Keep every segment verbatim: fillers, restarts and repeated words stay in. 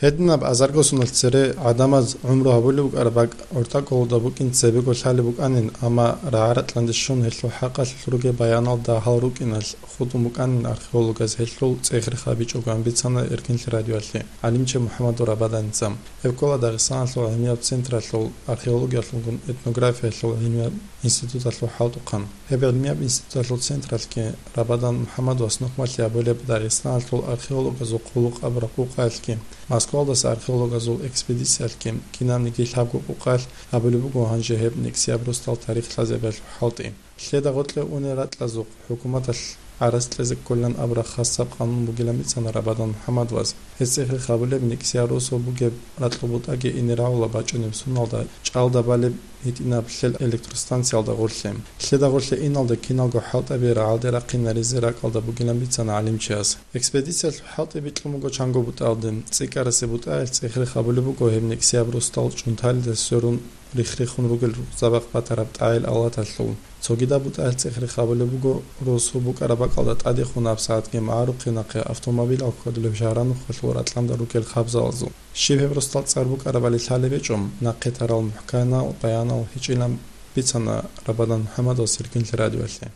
Гьединаб азарго соналъ цере гӀадамаз гӀумру гьабулеб букӀараб бакӀ гӀортӀа кӀолода букӀин цебего лъалеб букӀанин, амма рагӀа-ракьанде щун гьелъул хӀакъалъулъ ругеб баяналда гьал рукӀиналъ хутӀун букӀанин археологаз гьелъул цӀех-рех гьабичӀого, гьанбицана Эркинлъи радиоялъе гӀалимчи МухӀаммадов Рабаданица. Гьеб ккола Дагъистаналъул гӀилмияб централъул археологиялъулгун этнографиялъул гӀилмияб институталъул хӀалтӀухъан. Гьеб гӀилмияб институталъул централъги Рабадан МухӀаммадовас нухмалъи абулеб Дагъистаналъул археологазул хъулухъ абураб къукъаялъги, Москвалдаса археологазул экспедициялъги, кинабниги лъабго къукъаялъ абулеб буго гьанже гьеб нексияб росдал тарих лъазабиялъул хӀалтӀи. Лъеда гъоркье унел ракьазухъ хӀукуматалъ гӀарац кьезе кколилан абураб хасаб къанун бугилан бицана Рабадан МухӀаммадовас. Гьес цӀех-рех гьабулеб нексияб росу бугеб ракьул бутӀаги ине рагӀула бачӀунеб суналда чӀалда балеб гьитӀинаб лъел электростанциялда гъорлъе. Лъеда гъорлъе иналда киналго хӀалтӀаби рагӀалде рахъинаризе ракӀалда бугилан бицана гӀалимчияс. Экспедициялъул хӀалтӀи бикьун буго чанго бутӀаялде. ЦӀикӀкӀарасе бутӀаялъ цӀех-рех гьабулеб буго гьеб нексияб росдал чӀунталида сверун рих-рихун ругел рукъзабахъ батараб тӀагӀел алаталъул. Цогидаб бутӀаялъ цӀех-рех гьабулеб буго росу букӀараб бакӀалда тӀадехун гьабсагӀатги магӀарухъе нахъе автомобилал хьвадулеб шагьранухъалъул ракьанда ругел хабзалазул. Щиб гьеб росдал цӀар букӀарабали лъалеб гьечӀо, нахъе тарал мухӀканал, баянал гьечӀилан бицана Рабадан МухӀаммадовас Эркинлъи радиоялъе.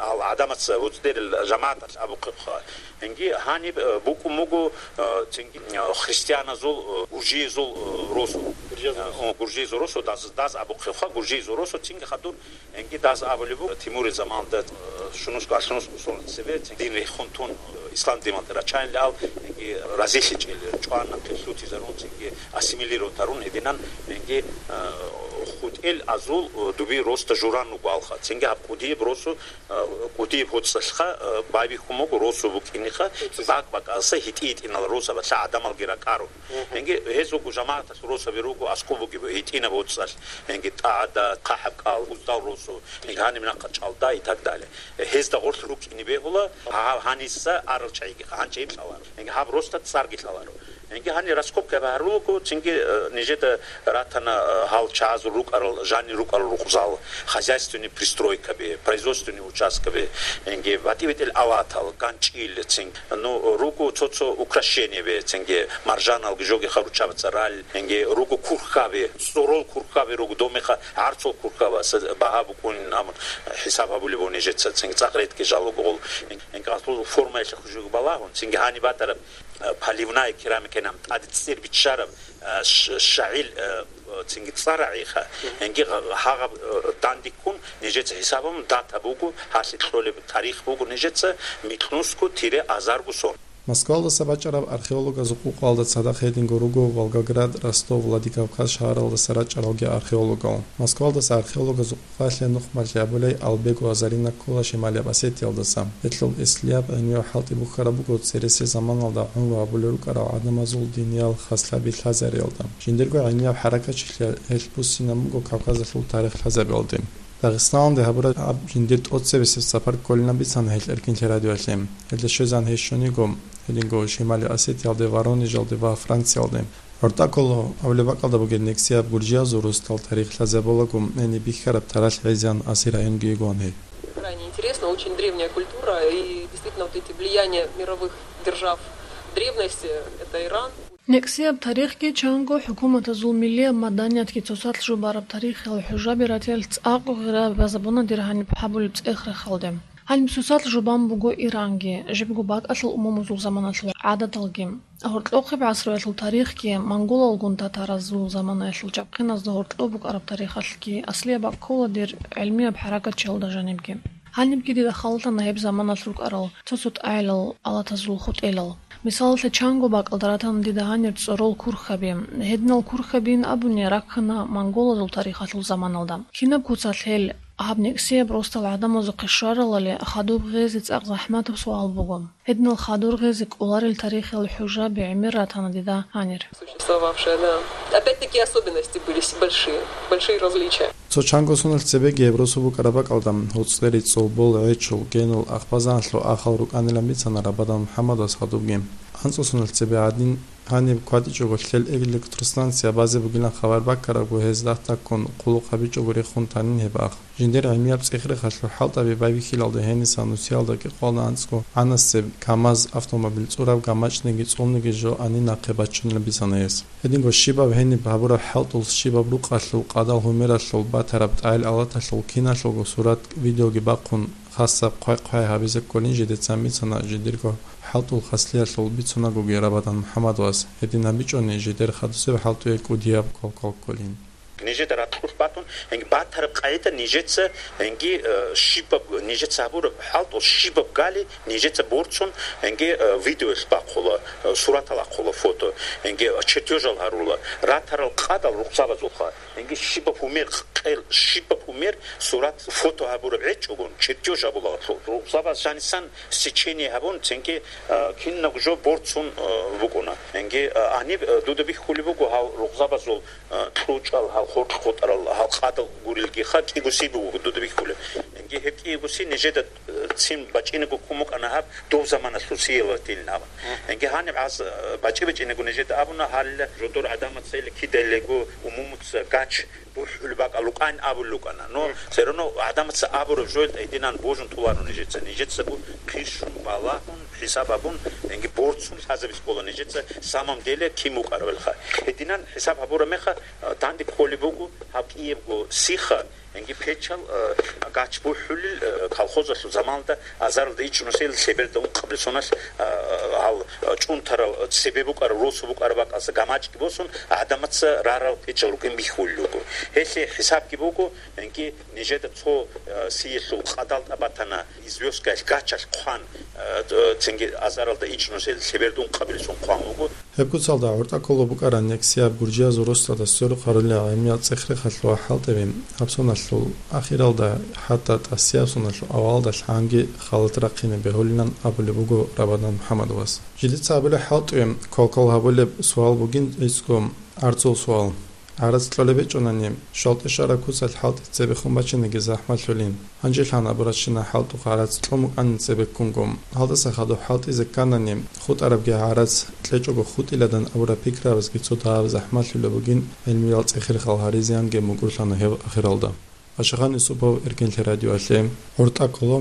Ал гӀадамаца гьуцӀдерил жамагӀаталъ абухъебха. Гьанги гьаниб, э, букӀун буго, э, цинги, э, христианазул, э, гуржиязул, э, росу. Гуржиязул Э, росу. о, гуржиязул росу, даз, даз абухъебха, гуржиязул росу, цинги хадур, гьанги даз абулеб буго, Тимурил заманалда, э, щунусго, алъунусго соналъ цебе, цин дин рехун тун, э, ислам диналде рачайилан ал, гьанги разилъичӀел чӀван, нахъе лъутизарун, цинги ассимилировать гьарун гьединан, гьанги, э, хутӀел азул, э, дуби росда журан руго алха. Цинги гьаб кӀудияб росу, э, кӀудияб гьоцӀалъха, э, байбихьун буго росу букӀиниха, бакӀ-бакӀалса гьитӀи-гьитӀинал росабалъа гӀадамалги ракӀаро. Гьанги гьез руго жамагӀаталъ росаби руго аскӀоб бугеб гьитӀинаб гьоцӀалъ, гьанги тӀагӀада, хъахӀаб кӀал, уздал росу, гьанги гьаниб нахъа чӀалда и так далее. Гьезда гъорлъ рукӀине бегьула, гьаб гьаниса арал чагӀиги, гьанчи гьеб лъаларо. Гьанги гьаб росда цӀарги лъаларо. Гьанги гьанир раскопка гьарулаго, цинги, э, нижеда ратана, э, гьал чагӀазул рукӀарал, жанир рукӀарал рукъзал, хозяйственный пристройкаби, производственный участкаби, гьанги батӀи-бетӀел алатал, ганчӀил, цин, ну, руго цо-цо украшениеби, цинги маржаналги жоги харучабаца рал, гьанги руго курхаби, цӀорол курхаби руго, домеха гӀарцул курхаба, с-, багьа букӀунин абун хӀисаб гьабулеб нижеца, цинги цӀакъ ретги жалугъул. Гьанги гьалъул формаялъе хужуги балагьун, цинги гьаниб батараб, э, поливная керамика, гьаниб тӀаде цӀер биччараб, э, ш-, шагӀил, э, цинги цӀар рагӀиха, гьанги гьа-, гьагъаб, э, дандиккун нижеца хӀисабун дата буго, гьалъе кьолеб тарих буго нижеца микьнусго тире азарго сон. Москвалдаса бачӀараб археологазул къукъалда цадахъ гьединго руго Волгоград, Ростов, Владикавказ шагьаралдаса рачӀаралги археологал. Москвалдаса археологазул къукъалъе нухмалъи абулей Албего Азарина ккола Шималияб Осетиялдаса. Гьелъул эслияб гӀилмиял хӀалтӀи бухьараб буго цересел заманалда гӀумру гьабулел рукӀарал гӀадамазул диниял хаслъаби лъазариялда. Жиндирго гӀилмияб хӀаракатчилъи гьелъ буссинаб буго Кавказалъул тарих лъазабиялде. Дагъистаналде гьабураб жиндир тӀоцебесеб сапар кколилан бицана гьелъ Эркинлъи радиоялъе. Гьелда щвезан гьез щваниго, гьединго Шимали Осетиялде, Воронежалде ва Франциялде. ГӀортӀа ккола абулеб бакӀалда бугеб нексияб гуржиязул росдал тарих лъазабулаго, гьениб бихьараб таралъ гӀезегӀан Аси районги йигоан гьей. Крайне интересно, очень древняя культура, и действительно вот эти влияния мировых держав древности, это Иран. Нексияб тарихги чанго хӀукуматазул миллияб маданиятги цоцалъ жубараб тарихиял хӀужаби ратиялъ цӀакъго гъира базабуна дир гьаниб гьабулеб цӀех-рехалде. Гьаниб цоцалъ жубан буго Иранги, жибго бакӀалъул умумузул заманалъул гӀадаталги. Гьоркьохъеб гӀасруялъул тарихги, монголалгун татаразул заманаялъул чабхъиназда гьоркьоб букӀараб тарихалъги аслияб бакӀ ккола дир гӀилмияб хӀаракатчиялда жанибги. Гьанибги дида халлъана гьеб заманалъ рукӀарал цо-цо тӀагӀелал алатазул хутӀелал. Мисалалъе, чанго бакӀалда ратана дида гьанир цӀорол курхаби. Гьединал курхабиин абуни раккана монголазул тарихалъул заманалда. Кинаб куцалъ гьел гьаб нексияб росдал гӀадамазухъе щваралали, хадуб гъезе цӀакъ захӀматаб суал буго. Гьединал хадур гъезе кӀоларел тарихиял хӀужаби гӀемер ратана дида гьанир. Существовавшая, да. Опять-таки особенности были с-, большие, большие различия. Цо чанго соналъ цебеги гьеб росу букӀараб бакӀалда, гьуцӀери, цӀолбол, гӀечул, генул, ахбазанлъул ахал рукӀанилан бицана Рабадан МухӀаммадас гьадубги. АнцӀусуналъ цебе гӀадин, гьаниб кватӀичӀого лъел электростанция базе бугилан хабар баккарабго, гьез дагь-дагьккун хъулухъ гьабичӀого рехун танин гьеб ах. Жиндир гӀемияб цӀехрехалъул хӀалтӀаби байбихьилалда гьениса нусиялда кӀикъоялда анцӀго гӀанасеб КамАЗ автомобиль цӀураб гамачӀниги цӀолниги жо анин нахъе баччунилан бицана гьес. Гьединго щибаб гьениб гьабураб хӀалтӀул, щибаб рукъалъул, къадал гьумералъул, батараб тӀагӀел-алаталъул киналъулго сурат-видеоги бахъун, хасаб хъвай-хъвай гьабизе кколин жидецан бицана жидерго хӀалтӀул хаслъиялъул бицунагоги Рабадан МухӀаммад вас. Гьедин гьабичӀони жидер хадусеб хӀалтӀуе кӀудияб квалквал кколин. Нижеда ракьулъ батун, гьанги батараб къайда нижеца, гьанги, э, щибаб, нижеца гьабураб хӀалтӀул щибаб гали нижеца борцун, гьанги, э, видеоялъ бахъула, э, суратал ахъула, фото, гьанги чертежал гьарула, ратарал къадал рукъзабазулха, гьанги щибаб гьумер къел, щибаб гьумер сурат, фото гьабураб гьечӀогун, чертеж гьабула. Рукъзабаз жанисан сечение гьабун, цинги, э, кинабго жо борцун, э, букӀуна. Гьанги, э, гьаниб, э, дуда бихьулеб буго гьал рукъзабазул, э, кьучӀал, гьал хоркь хутӀарал, гьал къадал гурилгиха, кӀиго сиб буго дуда бихьулеб. Гьанги гьеб кӀиго си нижеда, э, цин бачӀинего ккун букӀана гьаб дов заманалъул сиялатилин абун. Гьанги гьаниб гӀаз, э, бачӀи-бачӀинего нижеда абуна, гьалла жодор гӀадамаца или кидалего умумуца гач бухӀулеб бакӀал рукӀайин абулел рукӀана. Но все равно гӀадамаца абураб жоялда гьединан божун толаро нижеца. Нижецаго хъирщун балагьун, хӀисаб гьабун, гьанги борцун лъазабиз ккола нижеца самом деле кин вукӀарабилха. Гьединан хӀисаб гьабураб меха, а, данде кколеб буго гьаб кӀиябго сиха, гьанги печал, а, гач бухӀулел, а, колхозалъул заманалда азаралда ичӀнусел лъеберда ункъабилеб соналъ, а, гьал, а, чӀунтарал, а, цебе букӀараб, росу букӀараб бакӀалса гамачӀги босун, гӀадамаца рарал печал рукӀин бихьулел руго. Гьелъие хӀисабги буго, гьанги нижеда цо, а, сиялъул къадал тӀад батана, извёсткаялъ гачалъ хъван, а, цинги азаралда ичӀнусел лъеберда ункъабилеб сон хъван вуго. Гьеб куцалда гӀортӀа ккола букӀараб нексияб гуржиязул росдада сверухъ гьарулел гӀемияб цӀехрехалъул ва хӀалтӀабин, гьабсоналъул ахиралда, хӀатта тӀасиябсоналъул авалалда лъанги халат рахъине бегьулилан абулеб буго Рабадан МухӀаммад вас. Жидеца абулеб хӀалтӀуе квалквал гьабулеб суал бугин гӀицӀго гӀарцул суал. ГӀарац кьолеб гьечӀонани, щвал-тӀешараб куцалъ хӀалтӀи цебехун бачиниги захӀмалъулин. Гьанже лъан абурабщина хӀалтӀухъ гӀарац кьун букӀанин цебеккунго. Гьалдаса хадуб хӀалтӀизе кканани, хутӀарабги гӀарац кьечӀого хутӀиладан абураб пикрабазги цо дагьаб захӀмалъулеб бугин, гӀелмиял цӀехрехал гьаризеянги мукӀурлъана гьеб ахиралда. Ашагъан Юсупов, Эркенлъи радиоялъе, ГӀортӀа ккола.